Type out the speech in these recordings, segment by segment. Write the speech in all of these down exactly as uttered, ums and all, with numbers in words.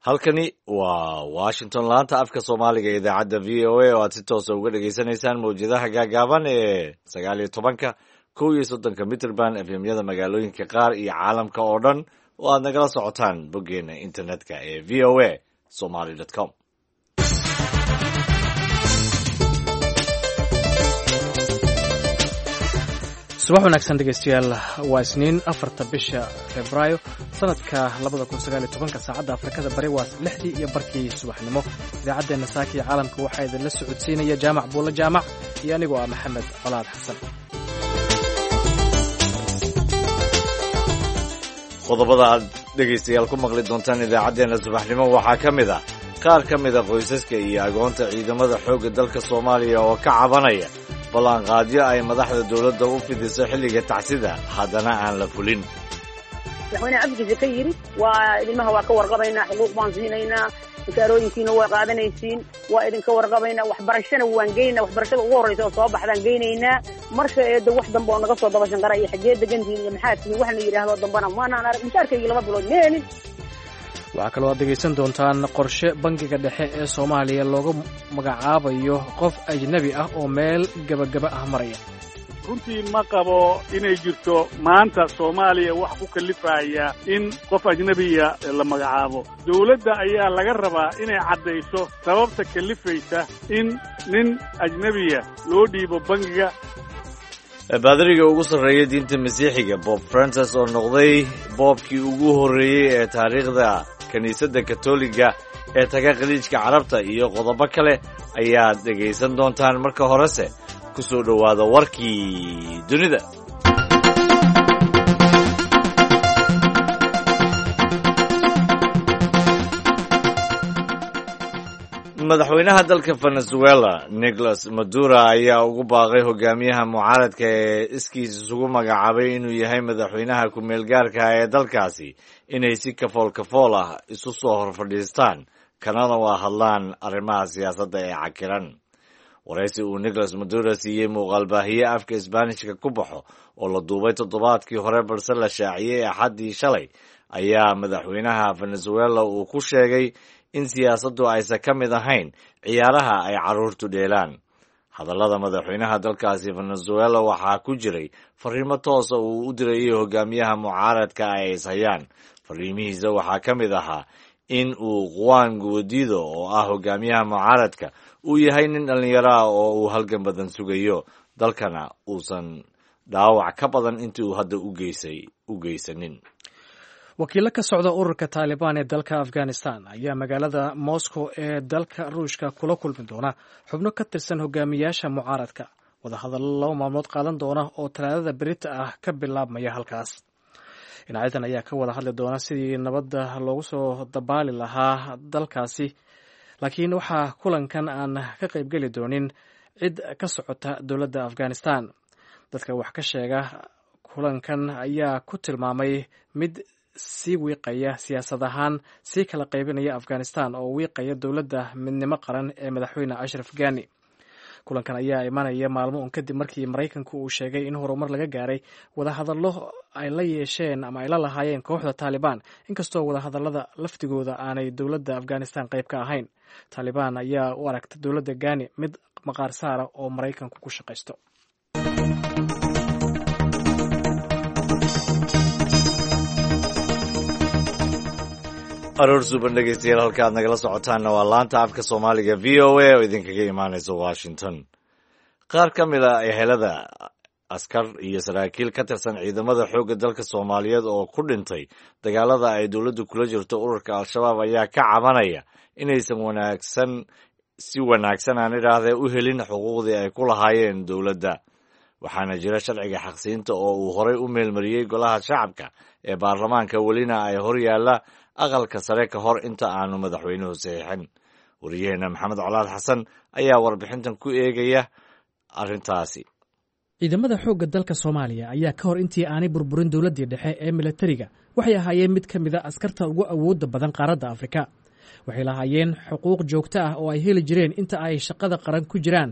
Halkani waa Washington, laanta afka Soomaaliga ee idaacadda V O A, oo aad si toosa uga dhagaysanaysaan mawjadaha gaagaaban ee sagaal iyo tobanka, kow iyo soddonka mitrban, F M-yada magaalooyinka qaar iyo caalamka oo dhan oo aad nagala socotaan boggeena internetka ee V O A Somali com. Subax wanaagsan, dhegeystayaal. Waa Isniin, afarta bisha Febraayo, sanadka labada kun sagaal iyo tobanka. Saacadda Afrikada Bari waa lixdii iyo barkii subaxnimo. Idaacaddeenna saaka iyo caalamka waxaa idinla socodsiinaya Jaamac Buulle Jaamac iyo anigoo ah Maxamed Colaad Xasan. Qodobada aad dhegaystayaal ku maqli doontaan idaacaddeenna subaxnimo waxaa ka mid ah qaar ka mid a qoysaska iyo agoonta ciidamada xoogga dalka Soomaaliya oo ka cabanaya ballanqaadyo ay madaxda dowladda u fidiso xilliga tacsida, haddana aan la fulin. Madaxweyne afkiisa ka yidhi waa ilmaha waa ka warqabaynaa, xuquuq baan siinaynaa, mushaarooyinkiina waa qaadanaysiin, waa idinka warqabaynaa, waxbarashana waan geynaa, waxbarashada ugu horraysa oo soo baxdaan geynaynaa. Marka eedda wax dambe oo naga soo dabashan qara iyo xaggee degantihiin iyo maxaa tihiin wax la yidhaahdo dambana maanaan arag. Mushaarkaygii laba bilood ma helin. Waxaa kaloo aad dhegaysan doontaan qorshe Bangiga Dhexe ee Soomaaliya looga magacaabayo qof ajnebi ah oo meel gebagaba ah maraya. Runtii ma qabo inay jirto maanta Soomaaliya wax ku kalifaya in qof ajnebiya la magacaabo. Dawladda ayaa laga rabaa inay caddayso sababta kalifaysa in nin ajnebiya loo dhiibo bangiga. Baadariga ugu sarreeya diinta Masiixiga, Bob Francis, oo noqday boobkii ugu horreeyey ee taariikhda kiniisadda Katoliga ee taga Khaliijka Carabta, iyo qodobo kale ayaad dhegaysan doontaan. Marka horese ku soo dhowaada warkii dunida. Madaxweynaha dalka Venezuela, Nicolas Maduro, ayaa ugu baaqay hogaamiyaha mucaaradka ee iskiis isugu magacaabay inuu yahay madaxweynaha ku-meelgaarka ee dalkaasi inay si kafool kafool ah isu soo hor fadhiistaan, kanana waa hadlaan arrimaha siyaasadda ee cakiran. Waraysi uu Nicolas Maduro siiyey muuqaalbaahiye afka Isbaanishka ku baxo oo la duubay toddobaadkii hore balse la shaaciyey Axaddii shalay, ayaa madaxweynaha Venezuela uu ku sheegay in siyaasaddu aysan ka mid ahayn ciyaaraha ay carruurtu dheelaan. Hadallada madaxweynaha dalkaasi Venezuela waxaa ku jiray fariimo toosa uu u dirayay hogaamiyaha mucaaradka ay ishayaan. Fariimihiisa waxaa ka mid ahaa in uu Juan Guaido, oo ah hogaamiyaha mucaaradka, uu yahay nin dhallinyaro ah oo uu halgan badan sugayo, dalkana uusan dhaawac ka badan intii uu hadda ugeysay u geysanin. Wakiillo ka socda ururka Taalibaan ee dalka Afghanistan ayaa magaalada Moscow ee dalka Ruushka kula kulmi doona xubno ka tirsan hogaamiyaasha mucaaradka, wadahadallo laba maalmood qaadan doona oo Talaadada berita ah ka bilaabmaya halkaas. Dhinacyadan ayaa ka wada hadli doona sidii nabadda loogu soo dabaali lahaa dalkaasi, laakiin waxaa kulankan aan ka qaybgeli doonin cid ka socota dowladda Afghanistan. Dadka wax ka sheega kulankan ayaa ku tilmaamay mid sii wiiqaya siyaasad ahaan, sii kala qaybinaya Afghanistan oo wiiqaya dowladda midnimo qaran ee madaxweyne Ashraf Gani. Kulankan ayaa imanaya maalmo un kadib markii Maraykanku uu sheegay in horumar laga gaaray wadahadallo ay la yeesheen ama ay la lahaayeen kooxda Taalibaan, inkastoo wadahadallada laftigooda aanay dowladda Afghanistan qayb ka ahayn. Taalibaan ayaa u aragta dowladda Gani mid maqaar saara oo Maraykanku ku shaqaysto. Aroor suuban, dhegeystayaal. Halka aad nagala socotaanna waa laanta afka Soomaaliga V O A oo idinkaga imaanaysa Washington. Qaar ka mid a ehelada askar iyo saraakiil ka tirsan ciidamada xoogga dalka Soomaaliyeed oo ku dhintay dagaalada ay dowladdu kula jirto ururka Al-Shabaab ayaa ka cabanaya inaysan wanaagsan si wanaagsan, aan idhaahdee, u helin xuquuqdii ay ku lahaayeen dowladda. Waxaana jira sharciga xaqsiinta oo uu horay u meelmariyey golaha shacabka ee baarlamaanka, welina ay hor yaalla aqalka sare ka hor inta aanu madaxweynuhu saxiixin. Wariyaheena Maxamed Colaad Xasan ayaa warbixintan ku eegaya arrintaasi. Ciidamada xoogga dalka Soomaaliya ayaa ka hor intii aanay burburin dowladdii dhexe ee milatariga waxay ahaayeen mid ka mid a askarta ugu awoodda badan qaaradda Afrika. Waxay lahaayeen xuquuq joogto ah oo ay heli jireen inta ay shaqada qaran ku jiraan,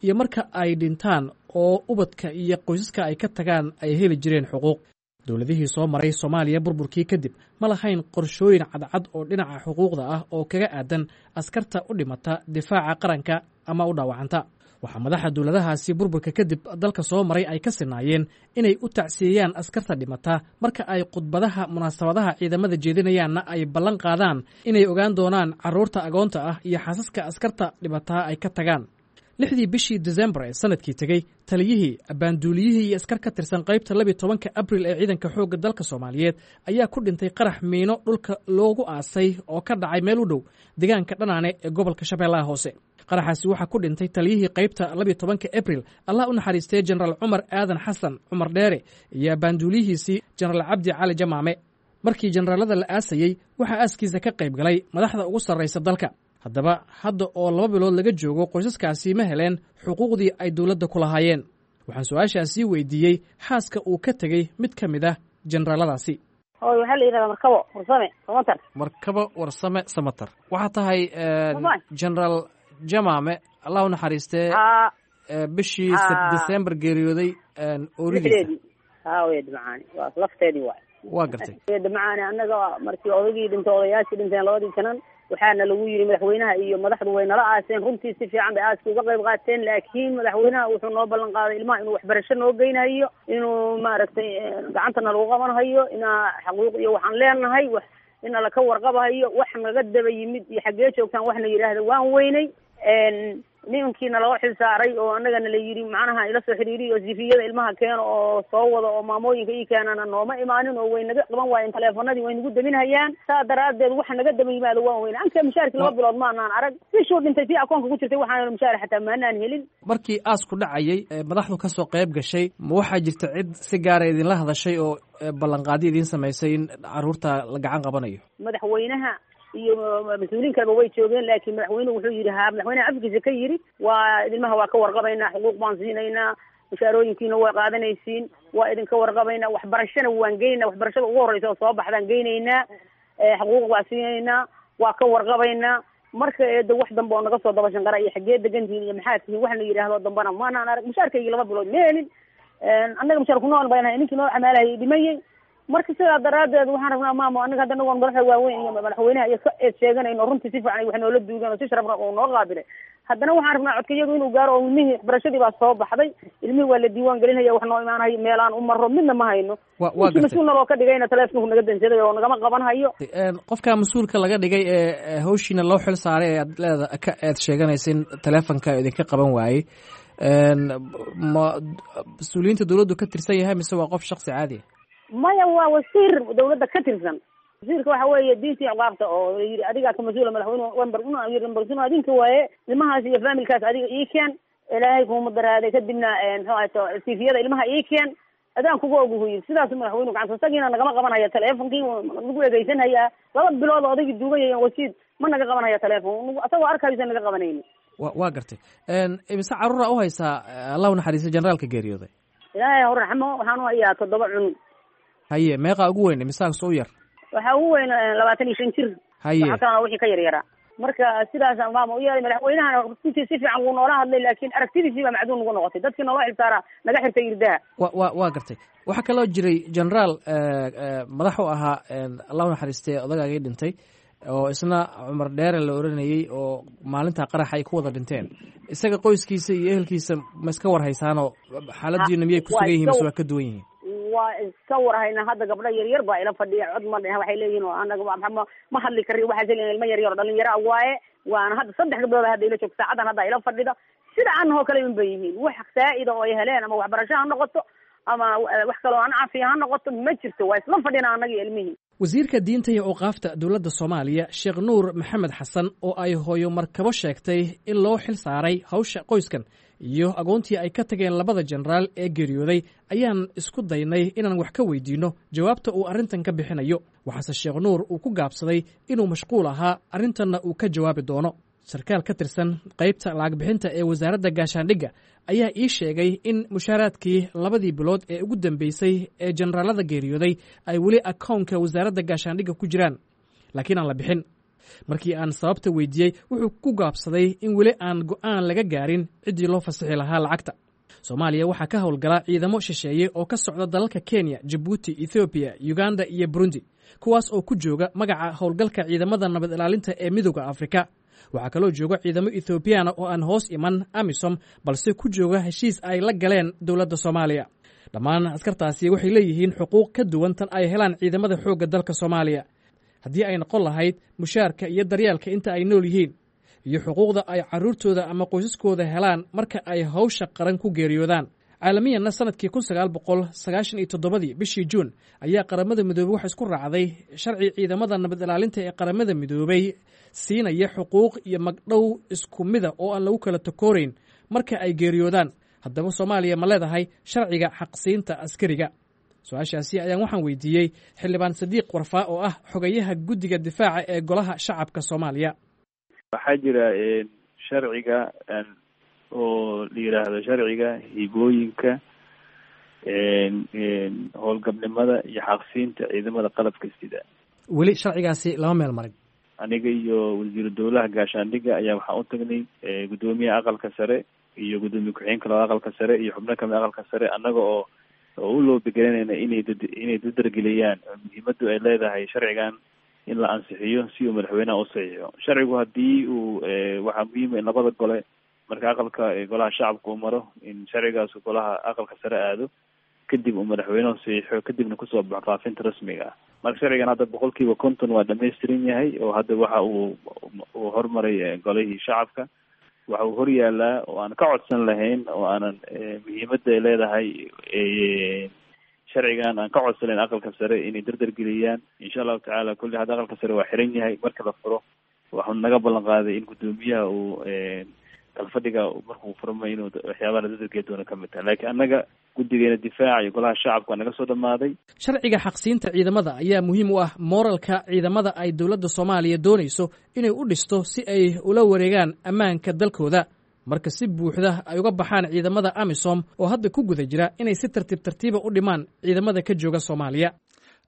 iyo marka ay dhintaan oo ubadka iyo qoysaska ay ka tagaan ay heli jireen xuquuq. Dowladihii soo maray Soomaaliya burburkii kadib ma lahayn qorshooyin cadcad oo dhinaca xuquuqda ah oo kaga aadan askarta u dhimata difaaca qaranka ama u dhaawacanta. Waxaa madaxa dowladahaasi burburka kadib dalka soo maray ay ka sinaayeen inay u tacsiyeeyaan askarta dhimata marka ay khudbadaha munaasabadaha ciidamada jeedinayaanna ay ballan qaadaan inay ogaan doonaan carruurta agoonta ah iyo xaasaska askarta dhimataa ay ka tagaan. Lixdii bishii Desembar ee sanadkii tegey, taliyihii, abbaanduuliyihii iyo askar ka tirsan qaybta labiyo tobanka Abril ee ciidanka xoogga dalka Soomaaliyeed ayaa ku dhintay qarax miino dhulka loogu aasay oo ka dhacay meel u dhow deegaanka Dhanaane ee gobolka Shabeellaha Hoose. Qaraxaasi waxaa ku dhintay taliyihii qaybta labiyo tobanka Abril, Allah u naxariistay, Jenaraal Cumar Aadan Xasan Cumar Dheere iyo abbaanduuliyihiisii Jenaraal Cabdi Cali Jamaame. Markii jenaraalada la aasayey, waxaa aaskiisa ka qayb galay madaxda ugu sarraysa dalka. Haddaba hadda oo laba bilood laga joogo, qoysaskaasi ma heleen xuquuqdii ay dowladda ku lahaayeen? Waxaan su-aashaasi weydiiyey xaaska uu ka tegey mid ka mid ah jenaraaladaasi. Hooy, waxaa la yidhahdaa Markabo Warsame Samatar. Markabo Warsame Samatar, waxaa tahay Jenaraal Jamaame, Allah u naxariistee, bishii December geeriyooday ooridiisa. Ha wey macaani, waa lafteedii waay. Waa gartay. Macaani, annaga markii odaygii dhintay, odayaashii dhinteen labadii janan, waxaana lagu yidhi madaxweynaha iyo madaxdu way nala aaseen. Runtii si fiican bay aaska uga qayb qaateen, laakiin madaxweynaha wuxuu noo ballan qaaday ilmaha inuu waxbarasho noo geynayo, inuu maaragtay gacantana lagu qabanhayo, inaa xaquuq iyo waxaan leenahay wax ina laka warqabahayo. Wax naga daba yimid iyo xaggee joogtaan waxna yidhaahda waan weynay. Nimankiina loo xil saaray oo annagana la yidhi macnaha ila soo xiriiriy oo sifiyada ilmaha keeno oo soo wada oo maamooyinka ii keenana nooma imaanin oo way naga qaban waayeen taleefanadii, way nagu daminhayaan. Saa daraaddeed waxa naga daba yimaado waan weyne. Anka mushaarkii laba bilood maanaan arag. Bishuu dhintay tii akoonka ku jirtay waxaan mushaar xataa maanaan helin. Markii aasku dhacayay, madaxdu kasoo qayb gashay, ma waxaa jirta cid si gaara idinla hadashay oo ballanqaadi idiin samaysay in carruurta la gacan qabanayo? Madaxweynaha iyo mas-uuliin kaleba way joogeen, laakiin madaxweynuhu wuxuu yidhi, haa, madaxweynaha afkiisa ka yidhi, waa ilmaha waa ka warqabaynaa, xuquuq baan siinaynaa, mushaarooyinkiina way qaadanaysiin, waa idinka warqabaynaa, waxbarashana waan geynaynaa, waxbarashada ugu horreysa oo soo baxdaan geynaynaa, xuquuq waa siinaynaa, waa ka warqabaynaa. Marka eedo wax dambe oo naga soo daba shanqara iyo xaggee degantihiin iyo maxaa tihiin waxna yidhaahdo dambana maanaan arag. Mushaarkaygii laba bilood ma helin. Annaga mushaar ku nool baynahay, ninkii noo camaalahayay dhimayey. Marka sidaa daraaddeed waxaan rabnaa, maamo, annaga hadda nagoon madaxda waaweyn iyo madaxweynaha iyo ka eed sheeganayno, runtii si fiican ay wax noola duugan oo si sharafna oo noo qaabilay, haddana waxaan rabnaa codka iyagu inuu gaaro oo ilmihii waxbarashadii baa soo baxday, ilmihii waa la diiwaan gelinaya, wax noo imaanayo meelaan u maro midna ma hayno. Wa ninkii mas-uulna loo ka dhigayna taleefonku naga dansaday oo nagama qaban hayo. Qofka mas-uulka laga dhigay ee hawshiina loo xil saaray ee aad leeda ka eed sheeganaysa in taleefonka idinka qaban waayey, ma mas-uuliyiinta dowladdu ka tirsan yahay mise waa qof shaksi caadi ah? Maya, waa wasiir dawladda ka tirsan. Wasiirka waxa weeye diintii ciqaabta oo yidhi adigaa ka mas-uula. Madaxweyne wamber yiri adinka waaye ilmahaas iyo faamilkaas adiga ii keen, Ilaahay kuma daraaday, kadibna muxuu ahayto sifiyada ilmaha ii keen, adaan kuga oguhu yiri. Sidaas madaxweynuhu gacanta isagiina nagama qabanhaya taleefonkii, nagu egeysanhayaa. Laba bilood oo odaygii duugan yahay wasiid ma naga qabanhaya taleefon, asagoo arkaysa naga qabanayni. Wa waa gartay. Imise carruura u haysaa, Allah u naxariistay, generaalka geeriyooday? Ilaahay ha raxmo, waxaan u hayaa toddoba cunug. Haye, meeqaa ugu weyn, imisaas u yar? Waxaa ugu weyn labaatan iyo shan jir. Haye. Waxa kalena wixii ka yar yaraa. Marka sidaasaan maama u yeelay. Madaxweynahana runtii si fiican wuu noola hadlay, laakiin aragtidiisii baa macduun nagu noqotay. Dadkii noola xilsaaraa naga xirtay irdaha. Wa wa waa gartay. Waxaa kaloo jiray generaal madax u ahaa, Allah u naxariistay, odagaagii dhintay oo isna Cumar Dheere la oranayey oo maalintaa qaraxa ay ku wada dhinteen. Isaga qoyskiisa iyo ehelkiisa ma iska war haysaanoo xaaladiina miyay ku sugan yihiin mise waa ka duwan yihiin? Waa iska warhayna. Hadda gabdho yar yar baa ila fadhiya, cod ma dheh, waxay leeyihin oo anaga ma ma hadli karin, waxaas leeyihin ilmo yar yar oo dhalinyaro waaye. Waana hadda saddex gabdhood hadda ila joogto saacadan hadda ila fadhida, sida anahoo kale un bay yihiin. Wax saa'ida oo ay heleen ama waxbarasho ha noqoto ama wax kaloo aan cafiya ha noqoto ma jirto. Waa isla fadhina annaga iyo ilmihii. Wasiirka diinta iyo awqaafta dowladda Soomaaliya, Sheekh Nuur Maxamed Xasan, oo ay hooyo Markabo sheegtay in loo xil saaray hawsha qoyskan iyo agoontii ay ka tageen labada jenaraal ee geeriyooday, ayaan isku daynay inaan wax ka weydiinno jawaabta uu arrintan ka bixinayo. Waxaase Sheekh Nuur uu ku gaabsaday inuu mashquul ahaa, arrintanna uu ka jawaabi doono. Sarkaal ka tirsan qaybta lacag bixinta ee wasaaradda gaashaandhigga ayaa ii sheegay in mushaaraadkii labadii bilood ee ugu dambeysay ee jenaraalada geeriyooday ay weli akoonka wasaaradda gaashaandhigga ku jiraan, laakiin aan la bixin. Markii aan sababta weydiiyey, wuxuu ku gaabsaday in weli aan go'aan laga gaarin ciddii loo fasixi lahaa lacagta. Soomaaliya waxaa ka howlgala ciidamo shisheeye oo ka socda dalalka Kenya, Jabuuti, Ethoobiya, Uganda iyo Burundi, kuwaas oo ku jooga magaca howlgalka ciidamada nabad ilaalinta ee Midowda Afrika. Waxaa kaloo jooga ciidamo Ethoobiyaana oo aan hoos iman AMISOM, balse ku jooga heshiis ay la galeen dowladda Soomaaliya. Dhammaan askartaasi waxay leeyihiin xuquuq ka duwan tan ay helaan ciidamada xoogga dalka Soomaaliya, haddii ay noqon lahayd mushaarka iyo daryeelka inta ay nool yihiin, iyo xuquuqda ay carruurtooda ama qoysaskooda helaan marka ay hawsha qaran ku geeriyoodaan. Caalamiyanna, sanadkii kun sagaal boqol sagaashan iyo toddobadii bishii Juun ayaa Qaramada Midoobey waxa isku raacday sharci ciidamada nabad ilaalinta ee Qaramada Midoobey siinaya xuquuq iyo magdhow isku mida oo aan lagu kala takoorayn marka ay geeriyoodaan. Haddaba, Soomaaliya ma leedahay sharciga xaqsiinta askariga? Su-aashaasi ayaan waxaan weydiiyey Xildhibaan Sadiiq Warfaa oo ah xogayaha guddiga difaaca ee Golaha Shacabka Soomaaliya. Waxaa jira sharciga oo la yidhaahdo sharciga hibooyinka, howlgabnimada iyo xaqsiinta ciidamada qalabka sida. Weli sharcigaasi lama meel marin. Aniga iyo wasiiru dowlaha gaashaandhigga ayaa waxaan u tagnay guddoomiyaha Aqalka Sare iyo guddoomiye ku-xigeenka laba Aqalka Sare iyo xubno kamid Aqalka Sare, annaga oo oo u loobigelinayna inay dad inay dadargeliyaan muhiimaddu ay leedahay sharcigan in la ansixiyo si uu madaxweynaha u saxiixo sharcigu. Haddii uu waxaa muhiima in labada gole, marka aqalka Golaha Shacabka uu maro, in sharcigaas golaha Aqalka Sare aado, kadib uu madaxweynuhu saxiixo, kadibna kusoo baxo faafinta rasmiga ah. Marka sharcigan hadda boqol kiiba konton waa dhamaystiran yahay, oo hadda waxa uu uu hormaray Golihii Shacabka. Waxa uu hor yaalaa oo aan ka codsan lahayn oo aanan muhiimadda ay leedahay sharcigan aan ka codsanayn Aqalka Sare inay dardargeliyaan, insha Allahu tacaala. Kulli hadda Aqalka Sare waa xiran yahay. Marka la furo, waxuu naga ballan qaaday in guddoomiyaha uu kalfadhiga markuu furmay inuu waxyaabaha la dardargeli doono kamid tahay, laakiin annaga guddigeena difaaca iyo Golaha Shacabka waa naga soo dhamaaday. Sharciga xaqsiinta ciidamada ayaa muhiim u ah mooralka ciidamada ay dowladda Soomaaliya doonayso inay u dhisto si ay ula wareegaan ammaanka dalkooda marka si buuxda ay uga baxaan ciidamada AMISOM, oo hadda ku guda jira inay si tartiib tartiiba u dhimaan ciidamada ka jooga Soomaaliya.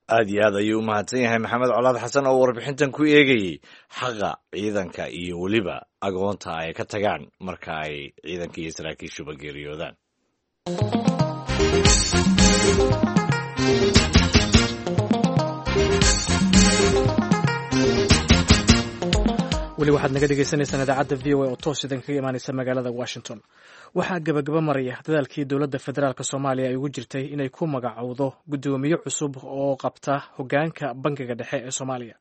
Aad iyo aad ayuu u mahadsan yahay Maxamed Colaad Xasan oo warbixintan ku eegayey xaqa ciidanka iyo weliba agoonta ay ka tagaan marka ay ciidanka iyo saraakiishuba geeriyoodaan. Weli waxaad naga dhegeysaneysaan idaacadda V O A oo toos idin kaga imaaneysa magaalada Washington. Waxaa gabagaba maraya dadaalkii dowladda federaalk Soomaaliya ay ugu jirtay inay ku magacowdo guddoomiye cusub oo qabta hoggaanka Bangiga Dhexe ee Soomaaliya,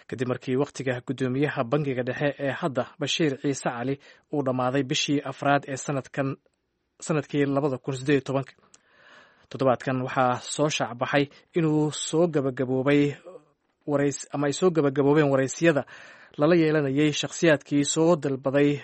kadib markii wakhtiga guddoomiyaha Bangiga Dhexe ee hadda, Bashiir Ciise Cali, uu dhammaaday bishii afraad ee sanadkan, sanadkii labada kun sideed iyo tobanka. Toddobaadkan waxaa soo shaacbaxay inuu soo gabagaboobay warays ama ay soo gabagaboobeen waraysyada lala yeelanayay shakhsiyaadkii soo dalbaday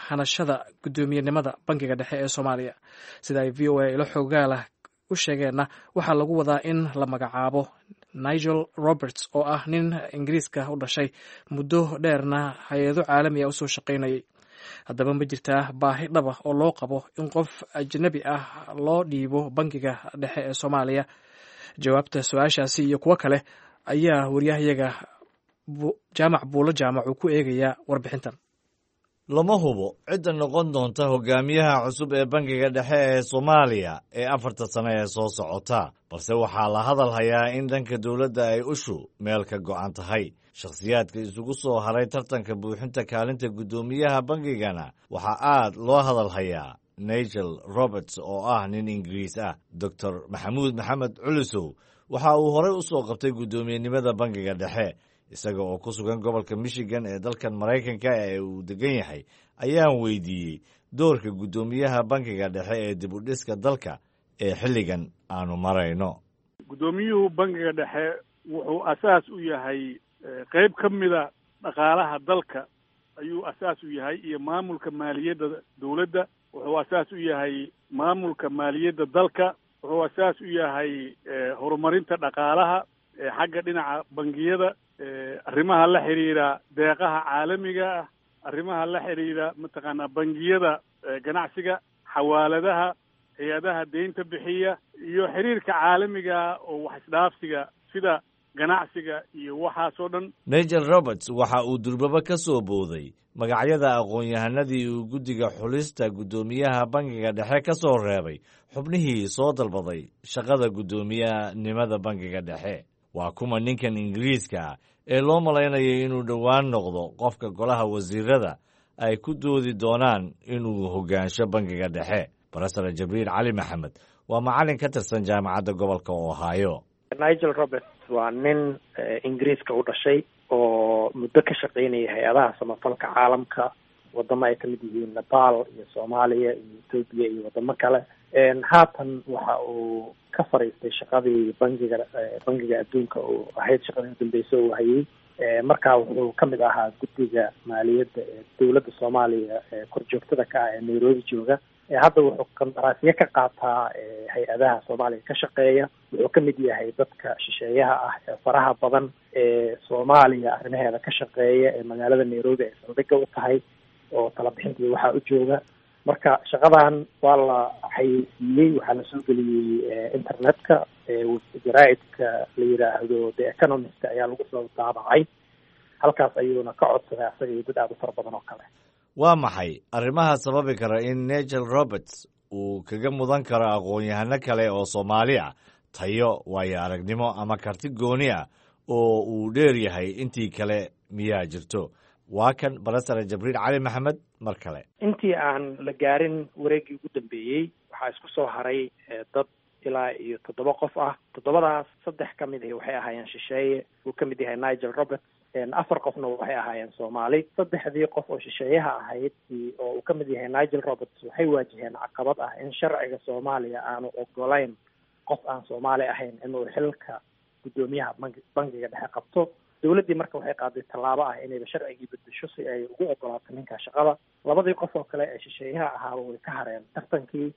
hanashada guddoomiyenimada Bangiga Dhexe ee Soomaaliya. Sida ay V O A ilo xogaalah u sheegeenna, waxaa lagu wadaa in la magacaabo Nigel Roberts, oo ah nin Ingiriiska u dhashay, muddo dheerna hay-ado caalami ah usoo shaqaynayay. Haddaba, ma jirtaa baahi dhaba oo loo qabo in qof ajnabi ah loo dhiibo Bangiga Dhexe ee Soomaaliya? Jawaabta su-aashaasi iyo kuwo kale ayaa waryahayaga Jaamac Buulo Jaamac uu ku eegayaa warbixintan. Lama hubo cidda noqon doonta hogaamiyaha cusub ee Bangiga Dhexe ee Soomaaliya ee afarta sano ee soo socota, balse waxaa la hadal hayaa in dhanka dowladda ay ushu meel ka go'an tahay. Shakhsiyaadka isugu soo haray tartanka buuxinta kaalinta guddoomiyaha bangigana waxaa aad loo hadal hayaa Nigel Roberts oo ah nin Ingiriis ah. Doctor Maxamuud Maxamed Culusow waxa uu horey u soo qabtay guddoomiyenimada Bangiga Dhexe. Isaga oo ku sugan gobolka Michigan ee dalkan Maraykanka ee uu degan yahay ayaan weydiiyey doorka guddoomiyaha Bangiga Dhexe ee dib u dhiska dalka ee xilligan aanu marayno. Guddoomiyuhu Bangiga Dhexe wuxuu asaas u yahay qeyb ka mida dhaqaalaha dalka ayuu asaas u yahay, iyo maamulka maaliyadda dowladda. Wuxuu asaas u yahay maamulka maaliyadda dalka. Wuxuu asaas u yahay horumarinta dhaqaalaha xagga dhinaca bangiyada, arrimaha la xiriira deeqaha caalamiga ah, arrimaha la xiriira mataqaanaa bangiyada ganacsiga, xawaaladaha, hay-adaha deynta bixiya iyo xiriirka caalamiga oo wax isdhaafsiga, sida Ganacsiga iyo waxaasoo dhan. Nigel Roberts waxa uu durbaba ka soo booday magacyada aqoon-yahanadii uu guddiga xulista guddoomiyaha bangiga dhexe ka soo reebay xubnihii soo dalbaday shaqada guddoomiyahanimada bangiga dhexe. Waa kuma ninkan Ingiriiska ah ee loo malaynayo inuu dhowaan noqdo qofka golaha wasiirada ay ku doodi doonaan inuu hoggaansho bangiga dhexe? Barasare Jabriil Cali Maxamed waa macallin ka tirsan Jaamacadda Gobolka Ohio. Nigel Roberts waa nin Ingiriiska u dhashay oo muddo ka shaqaynaya hay-adaha samafalka caalamka, wadamo ay kamid yihiin Nepal iyo Soomaaliya iyo Etoobiya iyo wadamo kale. Haatan waxa uu ka fariistay shaqadii bangiga bangiga Adduunka oo ahayd shaqadii udambeysa uu hayay. Markaa wuxuu kamid ahaa guddiga maaliyadda ee dowladda Soomaaliya ee korjoogtada ka ah ee Nairobi jooga. Hadda wuxuu qandaraasyo ka qaataa hay-adaha Soomaaliya ka shaqeeya. Wuxuu kamid yahay dadka shisheeyaha ah ee faraha badan ee Soomaaliya arrimaheeda ka shaqeeya ee magaalada Nairobi ay saldhigga u tahay oo talabixintii waxaa u jooga. Marka shaqadan waa la xayeysiiyey, waxaa lasoo geliyey internetka, jaraa'idka la yidhaahdo The Economist ayaa lagu soo daabacay. Halkaas ayuuna ka codsaday asaga iyo dad aada u fara badan oo kale. Waa maxay arrimaha sababi kara in Nigel Roberts uu kaga mudan karo aqoon-yahano kale oo Soomaali ah, tayo, waayo aragnimo ama karti gooni ah oo uu dheer yahay intii kale miyaa jirto? Waa kan Barasare Jabriil Cali Maxamed mar kale. Intii aan la gaarin wareeggii ugu dambeeyey, waxaa isku soo haray dad ilaa iyo toddoba qof ah. Toddobadaas saddex ka mid ahi waxay ahaayeen shisheeye, uu ka mid yahay Nigel Roberts. Afar qofna waxay ahaayeen Soomaali. Saddexdii qof oo shisheeyaha ahayd oo uu ka mid yahay Nigel Roberts waxay waajaheen caqabad ah in sharciga Soomaaliya aanu ogolayn qof aan Soomaali ahayn inuu xilka guddoomiyaha bangi bangiga dhexe qabto. Dowladdii marka waxay qaaday tallaabo ah inayba sharcigii bedesho si ay ugu ogolaato ninka shaqada. Labadii qof oo kale ee shisheeyaha ahaaba way ka hareen tartankii.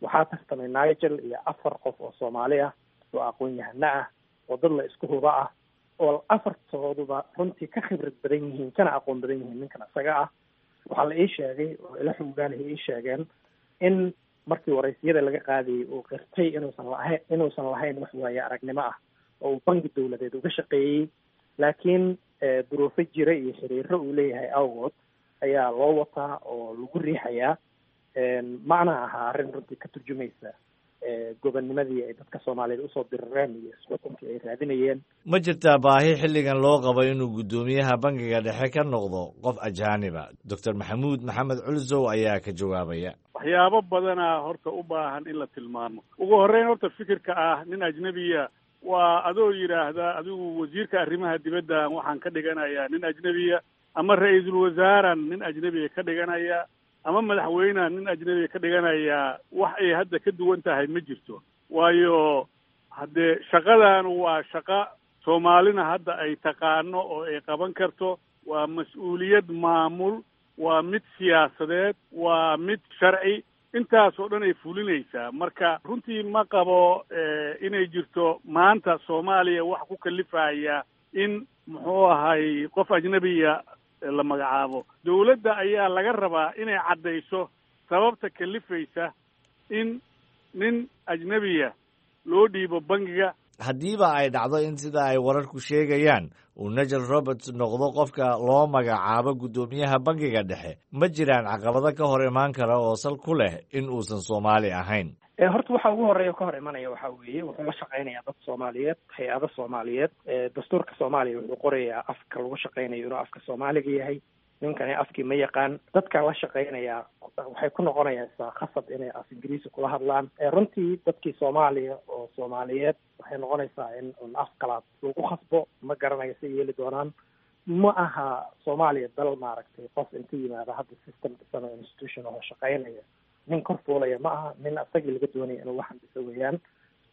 Waxaa tartamay Nigel iyo afar qof oo Soomaali ah oo aqoon-yahano ah oo dad la isku huba ah oo afartooduba runtii ka khibrad badan yihiin kana aqoon badan yihiin ninkan isaga ah. Waxaa la ii sheegay oo ila xoogaalihi ii sheegeen in markii waraysiyada laga qaadayay uu qirtay inuusan lahayn inuusan lahayn wax waaye aragnimo ah oo uu bangi dowladeed uga shaqeeyey, laakiin duruufo jira iyo xiriiro uu leeyahay awgood ayaa loo wataa oo lagu riixayaa. Macna ahaa arrin runtii ka turjumaysa gobonnimadii ay dadka Soomaaliyeed usoo dirireen iyo isxukunkii ay raadinayeen. Ma jirtaa baahi xilligan loo qabo inuu guddoomiyaha bangiga dhexe ka noqdo qof ajaaniba? Doctor Maxamuud Maxamed Culsow ayaa ka jawaabaya. Waxyaabo badanaa horta u baahan in la tilmaamo. Ugu horreyn, horta fikirka ah nin ajnebiya waa adoo yidhaahda adigu wasiirka arrimaha dibadda waxaan ka dhiganayaa nin ajnebiya, ama ra-iisul wasaaran nin ajnebiya ka dhiganaya, ama madaxweyneha nin ajnebiya ka dhiganayaa. Wax ay hadda ka duwan tahay ma jirto, waayo haddee shaqadan waa shaqa Soomaalina hadda ay taqaano oo ay qaban karto. Waa mas-uuliyad maamul, waa mid siyaasadeed, waa mid sharci, intaas oo dhan ay fulinaysaa. Marka runtii ma qabo inay jirto maanta Soomaaliya wax ku kalifaya in muxuu ahay qof ajnebiya la magacaabo. Dowladda ayaa laga rabaa inay caddayso sababta kalifaysa in nin ajnebiya loo dhiibo bangiga. Haddiiba ay dhacdo in sida ay wararku sheegayaan uu Nigel Roberts noqdo qofka loo magacaabo guddoomiyaha bangiga dhexe, ma jiraan caqabado ka hor imaan kara oo sal ku leh in uusan Soomaali ahayn? Horta waxa ugu horeeya ka hor imanaya waxaa weeye wuxuu la shaqeynayaa dad Soomaaliyeed, hay-ado Soomaaliyeed. Dastuurka Soomaaliya wuxuu qorayaa afka lagu shaqeynayo inuu afka Soomaaliga yahay. Ninkani afkii ma yaqaan. Dadka la shaqeynayaa waxay ku noqonaysaa khasab inay af Ingiriisi kula hadlaan. Runtii dadkii Soomaaliya oo Soomaaliyeed waxay noqonaysaa in un af kalaad lagu khasbo. Ma garanayo si yeeli doonaan. Ma aha Soomaaliya dal maaragtay qof inta yimaada hadda system dhisan oo institution oo shaqeynaya nin kor fuulaya ma aha. Nin asagii laga doonaya inuu waxan dhiso weeyaan.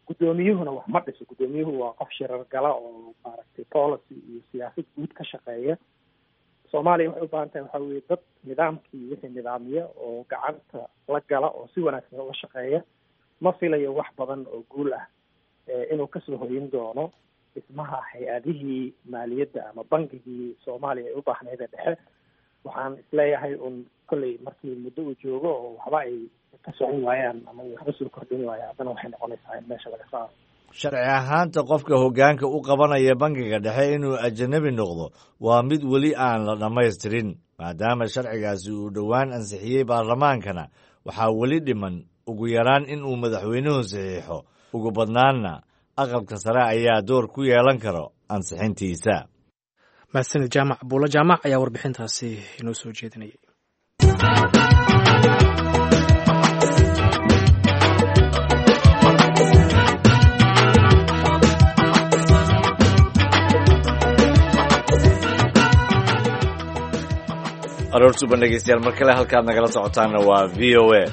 Guddoomiyuhuna wax ma dhiso. Guddoomiyuhu waa qof shirar gala oo maaragtay policy iyo siyaasad guud ka shaqeeya. Soomaaliya waxay u baahan tahay waxaa weeye dad nidaamkii wixii nidaamiya oo gacanta la gala oo si wanaagsan uga shaqeeya. Ma filayo wax badan oo guul ah inuu kasoo hoyin doono dhismaha hay-adihii maaliyadda ama bangigii Soomaaliya ay u baahnayd ee dhexe. Waxaan isleeyahay un kolley markii muddo uu joogo oo waxba ay ka socon waayaan ama waxba soo kordhin waaya, haddana waxay noqonaysaa in meesha laga saaro. Sharci ahaanta qofka hoggaanka u qabanaya bangiga dhexe inuu ajanabi noqdo waa mid weli aan la dhammaystirin, maadaama sharcigaasi uu dhowaan ansixiyey baarlamaankana waxaa weli dhiman ugu yaraan in uu madaxweynuhu saxiixo, ugu badnaanna aqalka sare ayaa door ku yeelan karo ansixintiisa. Mahadsanid Jaamac Buulo Jaamac ayaa warbixintaasi inoo soo jeedinayay. Aroor suban dhegeystayaal, mar kale halkaad nagala socotaanna waa V O A.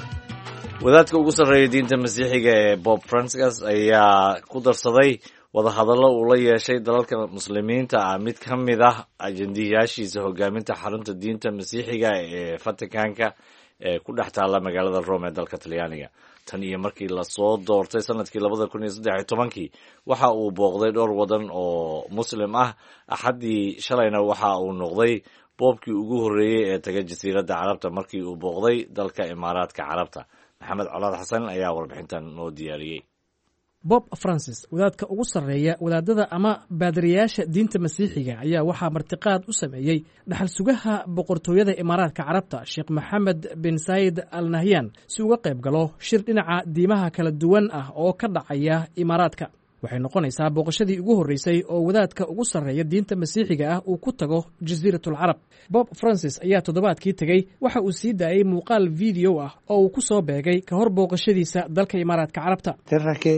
Wadaadka ugu sarreeya diinta masiixiga ee Bob Francis ayaa ku darsaday wadahadallo uu la yeeshay dalalka muslimiinta ah mid ka mid ah ajendiyaashiisa hogaaminta xarunta diinta masiixiga ee Vaticanka ee ku dhex taalla magaalada Rome ee dalka Talyaaniga. Tan iyo markii lasoo doortay sanadkii labada kun iyo saddex iyo tobankii waxa uu booqday dhowr wadan oo muslim ah. Axaddii shalayna waxa uu noqday boobkii ugu horreeyey ee taga jasiiradda Carabta markii uu booqday dalka Imaaraadka Carabta. Maxamed Colaad Xasan ayaa warbixintan noo diyaariyey. Bob Francis, wadaadka ugu sarreeya wadaadada ama baadiriyaasha diinta masiixiga, ayaa waxaa martiqaad u sameeyey dhaxal sugaha boqortooyada Imaaraadka Carabta, Sheekh Maxamed bin Saayid Al Nahyan, si uga qayb galo shir dhinaca diimaha kala duwan ah oo ka dhacaya Imaaraadka. Waxay noqonaysaa booqashadii ugu horreysay oo wadaadka ugu sarreeya diinta masiixiga ah uu ku tago Jasiiratul Carab. Bob Francis ayaa toddobaadkii tegey waxa uu sii daayey muuqaal video ah oo uu ku soo beegay ka hor booqashadiisa dalka Imaaraadka Carabta. Terra che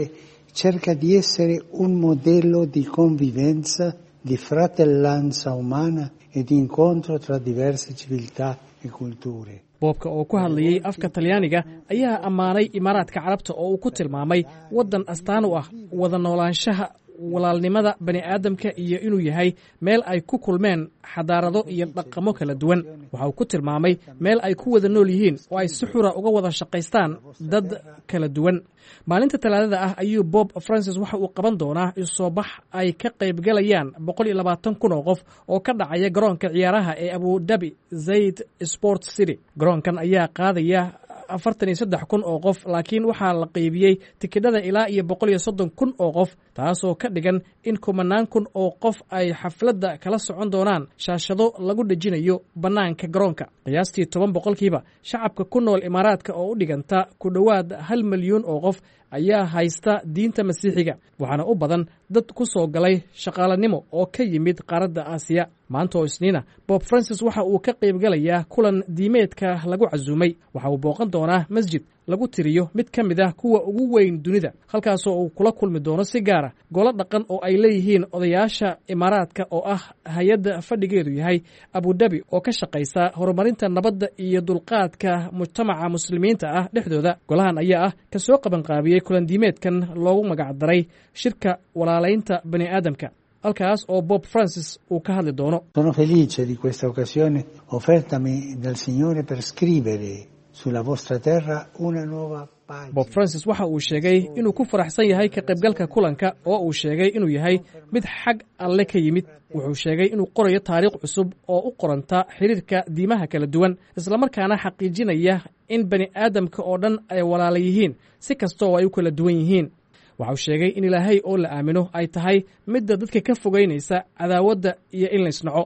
cerca di essere un modello di convivenza, di fratellanza umana e di incontro tra diverse civiltà e culture. Boobka oo ku hadlayey afka Talyaaniga ayaa ammaanay Imaaraadka Carabta oo uu ku tilmaamay waddan astaan u ah wada noolaanshaha, walaalnimada bani aadamka iyo inuu yahay meel ay ku kulmeen xadaarado iyo dhaqamo kala duwan. Waxa uu ku tilmaamay meel ay ku wada nool yihiin oo ay si xura uga wada shaqaystaan dad kala duwan. Maalinta Talaadada ah ayuu Bob Francis waxa uu qaban doonaa isoobax ay ka qaybgalayaan boqol iyo labaatan kun oo qof oo ka dhacaya garoonka ciyaaraha ee Abu Dhabi Zayd Sport City. Garoonkan ayaa qaadaya afartan iyo saddex kun oo qof, laakiin waxaa la qaybiyey tikidhada ilaa iyo boqol iyo soddon kun oo qof, taasoo ka dhigan in kumanaan kun oo qof ay xafladda kala socon doonaan shaashado lagu dhejinayo bannaanka garoonka. Qiyaastii toban boqolkiiba shacabka ku nool Imaaraadka, oo u dhiganta ku dhowaad hal milyuun oo qof, ayaa haysta diinta masiixiga, waxaana u badan dad ku soo galay shaqaalanimo oo ka yimid qaaradda Aasiya. Maanta oo Isniina, Bob Francis waxa uu ka qaybgalayaa kulan diimeedka lagu casuumay. Waxa uu booqan doonaa masjid lagu tiriyo mid ka mid ah kuwa ugu weyn dunida, halkaasoo uu kula kulmi doono si gaara golo dhaqan oo ay leeyihiin odayaasha Imaaraadka, oo ah hay-adda fadhigeedu yahay Abudabi oo ka shaqaysa horumarinta nabadda iyo dulqaadka mujtamaca muslimiinta ah dhexdooda. Golahan ayaa ah ka soo qabanqaabiyey kulan diimeedkan loogu magacdaray shirka walaalaynta bani aadamka, halkaas oo Bob Francis uu ka hadli doono. Sono felice di questa occasione offertami dal Signore per scrivere sulla vostra terra una nuova pagina. Bob Francis waxa uu sheegay inuu ku faraxsan yahay ka qaybgalka kulanka oo uu sheegay inuu yahay mid xag Alle ka yimid. Wuxuu sheegay inuu qorayo taariikh cusub oo u qoranta xiriirka diimaha kala duwan, islamarkaana xaqiijinaya in bani aadamka oo dhan ay walaala yihiin si kasta oo ay u kala duwan yihiin. Waxa uu sheegay in Ilaahay oo la aamino ay tahay midda dadka ka fogeynaysa cadaawadda iyo in la isnaco.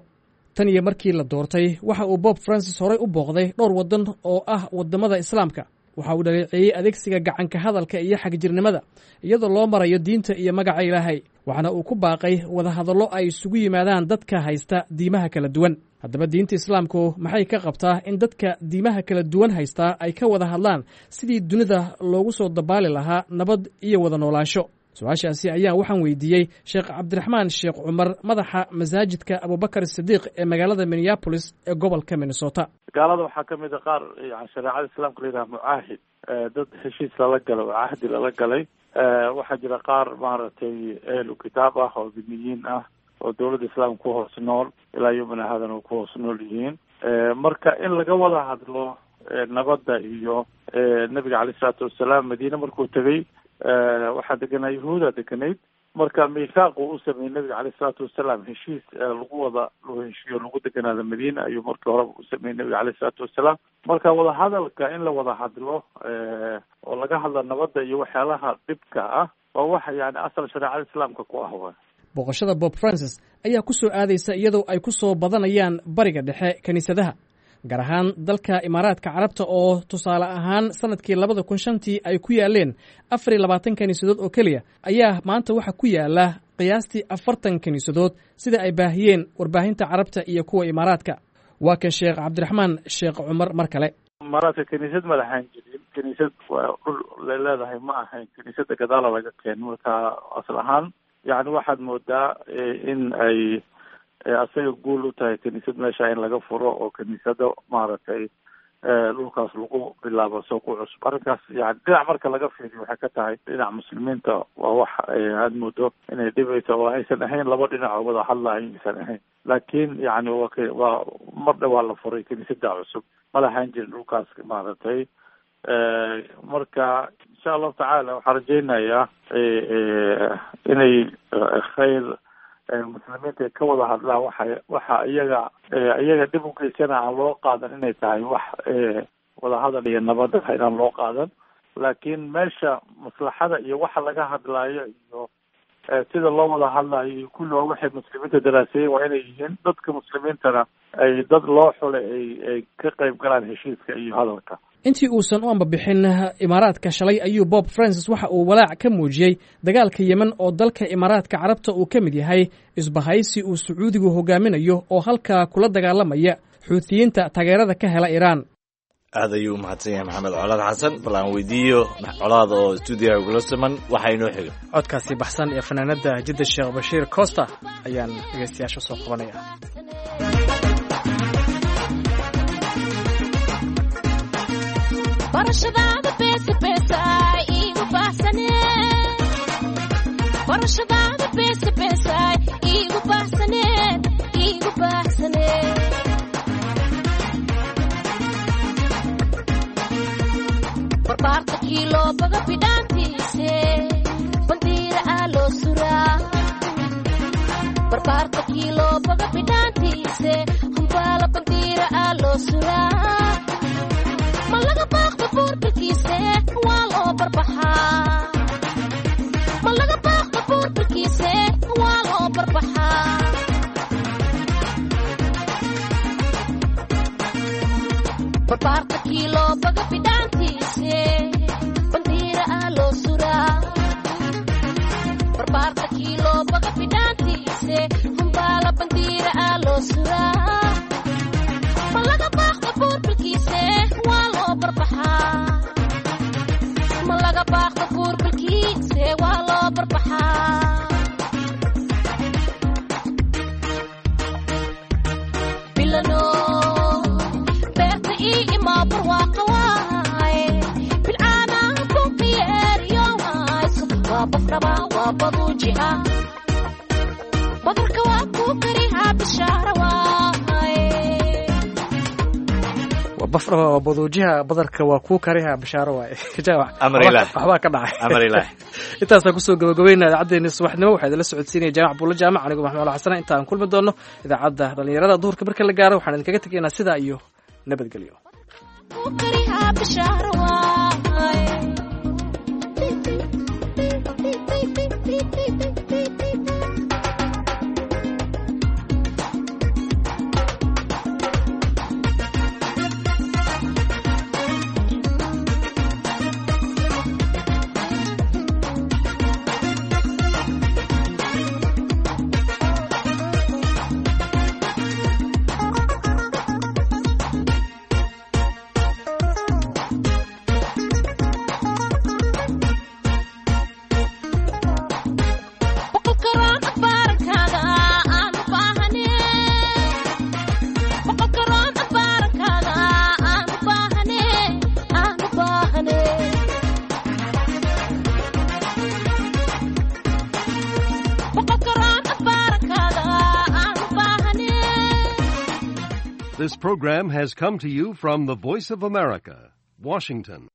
Tan iyo markii la doortay, waxa uu Bob Francis horey u booqday dhowr waddan oo ah waddamada Islaamka. Waxa uu dhaleeceeyey adeegsiga gacanka hadalka iyo xagjirnimada iyadoo loo marayo diinta iyo magaca Ilaahay, waxaana uu ku baaqay wadahadallo ay isugu yimaadaan dadka haysta diimaha kala duwan. Haddaba, diinta Islaamku maxay ka qabtaa in dadka diimaha kala duwan haystaa ay ka wada hadlaan sidii dunida loogu soo dabaali lahaa nabad iyo wada noolaansho? Su-aashaasi ayaa waxaan weydiiyey Sheekh Cabdiraxmaan Sheekh Cumar, madaxa masaajidka Abubakar Sidiiq ee magaalada Minneapolis ee gobolka Minnesota. Gaalada waxaa kamid a qaar yani shareecada Islaamka la yidhaha mucaahid, dad heshiis lala galay oo cahdi lala galay. Waxaa jira qaar maaragtay ehlu kitaab ah oo dimiyiin ah oo dowladda islaamka ku hoos nool ilaa yomina hadan ku hoos nool yihiin. Marka in laga wada hadlo nabadda iyo nabiga caleyh isalaatu wasalaam Madiine markuu tegey waxaa deganaa Yahuuda deganayd. Marka miithaaq uu u sameeyey nabiga caleyh isalaatu wasalaam, heshiis lagu wada lagu heshiiyo lagu deganaada Madiina ayuu markii horeba u sameeyey nabiga caleyh isalaatu wasalaam. Marka wadahadalka in la wada hadlo oo laga hadla nabadda iyo waxyaalaha dhibka ah Waa wax yani asal shareecada islaamka ku ah wa. Booqashada Bob Francis ayaa ku soo aadaysa iyadoo ay ku soo badanayaan Bariga Dhexe kiniisadaha, gaar ahaan dalka Imaaraadka Carabta, oo tusaale ahaan sanadkii labada kun shantii ay ku yaaleen afar iyo labaatan kiniisadood oo keliya, ayaa maanta waxaa ku yaala qiyaastii afartan kiniisadood, sida ay baahiyeen warbaahinta Carabta iyo kuwa Imaaraadka. Waa kan Sheekh Cabdiraxmaan Sheekh Cumar mar kale. Imaaraadka kiniisad ma lahayn jirin, kiniisad waa dhul la leedahay ma ahayn, kiniisada gadaala laga keen. Marka asal ahaan yani waxaad moodaa in ay asaga guul u tahay kiniisad meesha in laga furo oo kiniisado maaragtay dhulkaas lagu bilaabo soo ku cusub. Arrinkaas yani dhinac marka laga fiiriyo waxay ka tahay dhinac muslimiinta waa wax aada moodo inay dhibayso oo aysan ahayn laba dhinac oo wada hadlayo aysan ahayn, laakiin yani wa waa mar dhawaa la furay kiniisada cusub, ma lahaan jirin dhulkaas maaragtay. Marka insha Allahu tacaala waxaan rajeynayaa inay khayr muslimiinta ka wada hadlaan, waxa waxa iyaga iyaga dhib u geysana aan loo qaadan inay tahay wax wadahadal iyo nabad ah inaan loo qaadan, laakiin meesha maslaxada iyo waxa laga hadlaayo iyo sida loo wada hadlaayo iyo kulli waa waxay muslimiinta daraaseeyeen waa inay yihiin, dadka muslimiintana ay dad loo xulay ay ay ka qayb galaan heshiiska iyo hadalka. Intii uusan u ambabixin Imaaraadka shalay ayuu Bob Francis waxa uu walaac ka muujiyey dagaalka Yemen oo dalka Imaaraadka Carabta uu ka mid yahay isbahaysi uu Sacuudigu hogaaminayo oo halkaa kula dagaalamaya Xuutiyiinta taageerada ka hela Iiraan. Aad ayuu u mahadsan yahay Maxamed Colaad Xasan. Bal aan weydiiyo Colaad oo stuudiyaha ugula siman waxa inoo xiga. Codkaasi baxsan ee fanaanada Jidda Sheekh Bashiir Costa ayaan dhegeystayaasha soo qabanaya. Barashadaada beesa beesaay iigu baahsane, barashadaada beesa beesaay iigu baahsane, iigu baahsane. Barbaarta kiiloo baga bidhaantiise bandiira aa loo suraa, barbaarta kiiloo baga bidhaantiise humbaala bandiira aa loo suraa, ma laga baaqda buurbilkiise waa loo barbaxaa, ma laga baaqda buurbilkiise waa loo barbaxaa. Barbaarta kiiloo baga bidhaantiise bandiira aa loo suraa, barbaarta kiiloo baga bidhaantiise humbaala bandiira aa loo suraa, ma laga baaqda buurbilkiise waa loo barbaxaa, ma laga baaqda buurbilkiise waa loo barbaxaa. Bilano beerta ii imaa barwaaqa waaye, bilcaana bunqiyeeriyo hayso, waa bafraba waa baduujiha, badarka waa kuu karihaa bishaara waaye. Bafraba waa baduujiha, badarka waa kuu kariha bashaaro waaye. Jaamac, Amar Ilaah. waxbaa ka dhacay. Amar Ilaah. Intaasaan kusoo gabagabeynaa idaacaddeenii subaxnimo. Waxaa idinla socodsiinaya Jaamac Buulla Jaamac, anigu Maxmuud Xasana. Inta aan kulmi doono idaacadda dhalinyarada duhurka marka la gaaro, waxaan idinkaga tegaynaa sidaa iyo nabadgelyo. Kuu karihaa bishaara waaye. Boqol karoon abbaarankaada aan u baahane, boqol karoon abbaarankaada aan u baahane, aan u baahane. Boqol karoon abbaarankaada aan u baahane. This program has come to you from the Voice of America, Washington.